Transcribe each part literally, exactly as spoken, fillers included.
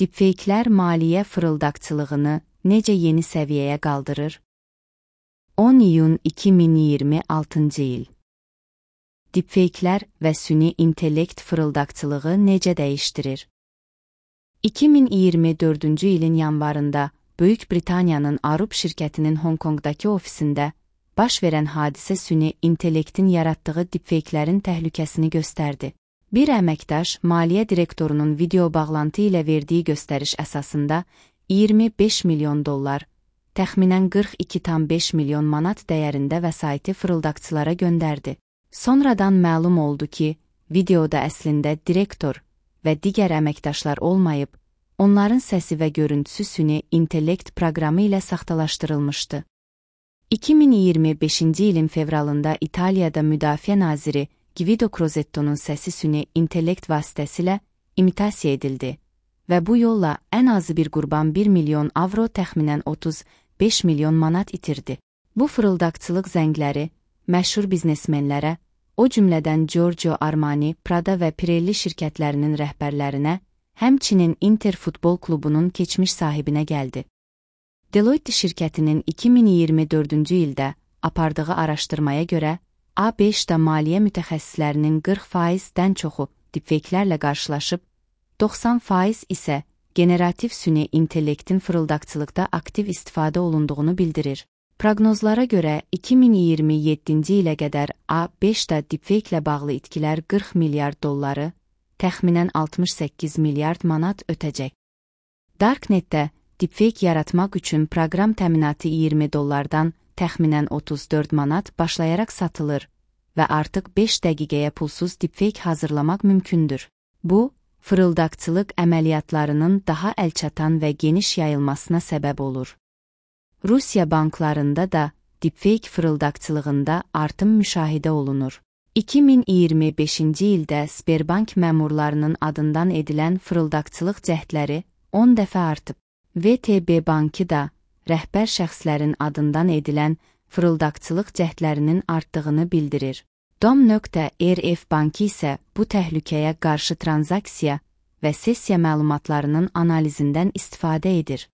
Deepfake'lər maliyyə fırıldaqçılığını necə yeni səviyyəyə qaldırır? on iyun iki min iyirmi altıncı il. Deepfake'lər və süni intellekt fırıldaqçılığı necə dəyişdirir? iki min iyirmi dördüncü ilin yanvarında Böyük Britaniyanın Arup şirkətinin Hong Kongdakı ofisində baş verən hadisə süni intellektin yaratdığı deepfake'lərin təhlükəsini göstərdi. Bir əməkdaş maliyyə direktorunun video bağlantı ilə verdiyi göstəriş əsasında iyirmi beş milyon dollar, təxminən qırx iki tam beş milyon manat dəyərində vəsaiti fırıldaqçılara göndərdi. Sonradan məlum oldu ki, videoda əslində direktor və digər əməkdaşlar olmayıb, onların səsi və görüntüsü süni intellekt proqramı ilə saxtalaşdırılmışdı. iki min iyirmi beşinci ilin fevralında İtaliyada Müdafiə naziri Guido Crosetto'nun səsi süni intellekt vasitəsilə imitasiya edildi və bu yolla ən azı bir qurban bir milyon avro təxminən otuz beş milyon manat itirdi. Bu fırıldaqçılıq zəngləri məşhur biznesmenlərə, o cümlədən Giorgio Armani, Prada və Pirelli şirkətlərinin rəhbərlərinə, həmçinin Inter futbol klubunun keçmiş sahibinə gəldi. Deloitte şirkətinin iki min iyirmi dördüncü ildə apardığı araşdırmaya görə, A beşdə maliyyə mütəxəssislərinin qırx faizdən çoxu deepfake'lərlə qarşılaşıb, doxsan faiz isə generativ süni intellektin fırıldaqçılıqda aktiv istifadə olunduğunu bildirir. Proqnozlara görə iki min iyirmi yeddinci ilə qədər A beşdə deepfake-lə bağlı itkilər qırx milyard dolları, təxminən altmış səkkiz milyard manat ötəcək. Darknetdə deepfake yaratmaq üçün proqram təminatı iyirmi dollardan təxminən otuz dörd manat başlayaraq satılır və artıq beş dəqiqəyə pulsuz deepfake hazırlamaq mümkündür. Bu, fırıldaqçılıq əməliyyatlarının daha əlçatan və geniş yayılmasına səbəb olur. Rusiya banklarında da deepfake fırıldaqçılığında artım müşahidə olunur. iki min iyirmi beşinci ildə Sberbank məmurlarının adından edilən fırıldaqçılıq cəhdləri on dəfə artıb. V T B bankı da rəhbər şəxslərin adından edilən fırıldaqçılıq cəhdlərinin artdığını bildirir. Dom.rf bankı isə bu təhlükəyə qarşı tranzaksiya və sessiya məlumatlarının analizindən istifadə edir.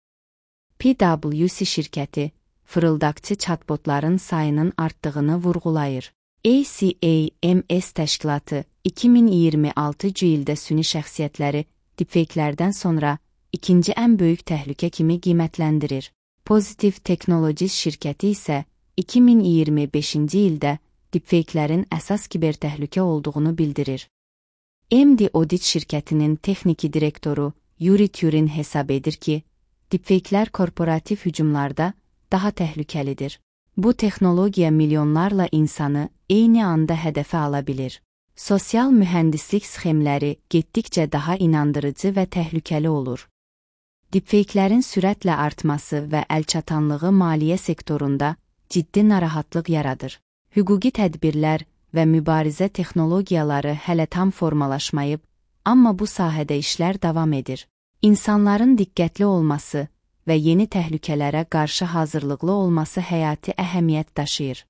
P W C şirkəti, fırıldaqçı chatbotların sayının artdığını vurğulayır. A C A M S təşkilatı iki min iyirmi altıncı ildə süni şəxsiyyətləri deepfake'lərdən sonra ikinci ən böyük təhlükə kimi qiymətləndirir. Positive Technologies şirkəti isə iki min iyirmi beşinci ildə deepfake'lərin əsas kibertəhlükə olduğunu bildirir. M D Audit şirkətinin texniki direktoru Yuri Turin hesab edir ki, deepfake'lər korporativ hücumlarda daha təhlükəlidir. Bu texnologiya milyonlarla insanı eyni anda hədəfə ala bilir. Sosial mühəndislik sxemləri getdikcə daha inandırıcı və təhlükəli olur. Deepfake'lərin sürətlə artması və əlçatanlığı maliyyə sektorunda ciddi narahatlıq yaradır. Hüquqi tədbirlər və mübarizə texnologiyaları hələ tam formalaşmayıb, amma bu sahədə işlər davam edir. İnsanların diqqətli olması və yeni təhlükələrə qarşı hazırlıqlı olması həyati əhəmiyyət daşıyır.